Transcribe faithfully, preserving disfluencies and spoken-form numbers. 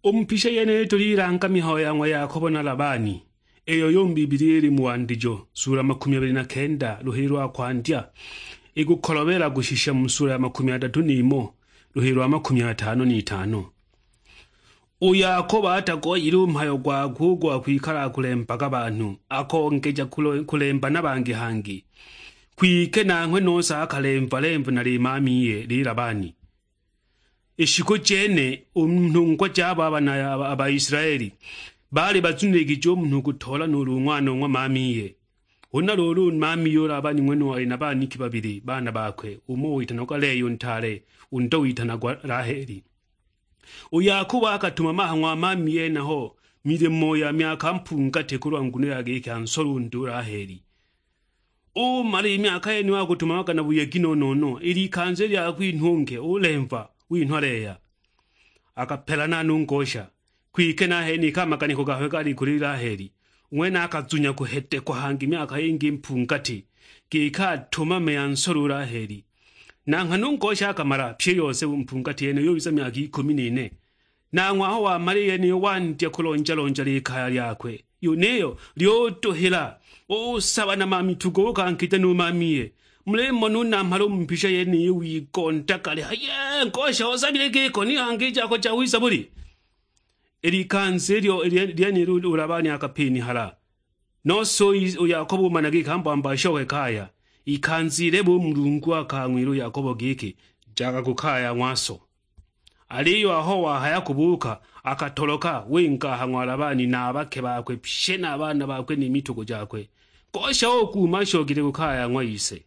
U mu pisha yeniyi tulilanga mihayo ya ng'wa Yakobo na Labani, iyo yu mu Bibilia ili mu Wandijo, sula makumi abili na kenda, luhili lwa kwandya, ikukolobela kushisha mu sula ya makumi adatu n'imo, luhili lwa makumi atano n'itano. U Yakobo atagoyile u mhayo gwakwe u gwa kwikala akulembaga banhu, akongeja kulo-, kulemba na bangi hangi. Kwike nanghwe nose akalemva-lemva na limamiye, li Labani. I shiku jene, u nhungwa jabo a bana a ba-, a Baisilaeli, baali bazuniligije u munhu kutoola nuulu ng'wana o ng'wa mamiye. Huna luulu, u mamiye u Labani ng'wenuyo ali na baniki babili, baana bakwe, umo witanagwa Lea u ntaale, undo witanagwa Laheli. U Yakobo akatumama ha ng'wa mamiye henaho milimo ya myaka mpungati kulwa nguno ya giki ansolunde u Laheli. Umala i myaka yeniyo akutumamaga na buyegi no-no-no, i likanza i lya kwinha u nke ulemva, winhwa Lea. Akapelana no ngosha, kwike nahenika a maganiko gakwe gaali kuli Laheli. U ng'wene akazunya kuhedekwa hangi myaka yingi mpungati, giki atumame ansole u Laheli. Na nghana u ngosha akamala, pyi i yose u mpungati yene yubiza myaka ikumi n'ine. Nanghwe aho wamala i yeniyo wandya kulonja-lonja likaya lyakwe, yuniyo lyutuhila, usaba na mamitugo ukankija nu mamiye. Mulimona u namhala u mu mpisha yeniyi wigondaga alihaya, "Yee, ngosha, usabile giko, ni hangi i jako jawiza buli?" I likanza ilyo lye-, lyenilo u Labani akapinihala. Nose u I-, u Yakobo umana giki ambwambaasha ohe kaya, ikanza ilebe u Mulungu akang'wila u Yakobo giki, "Jaga ku kaya ng'waso." Aliyo aho wahaya kubuuka, akatoloka, winga ha ng'wa Labani na a bake bakwe pye na a baana bakwe ni mitugo jakwe. Ngosha ukuuma ashokile ku kaya ng'wa ise.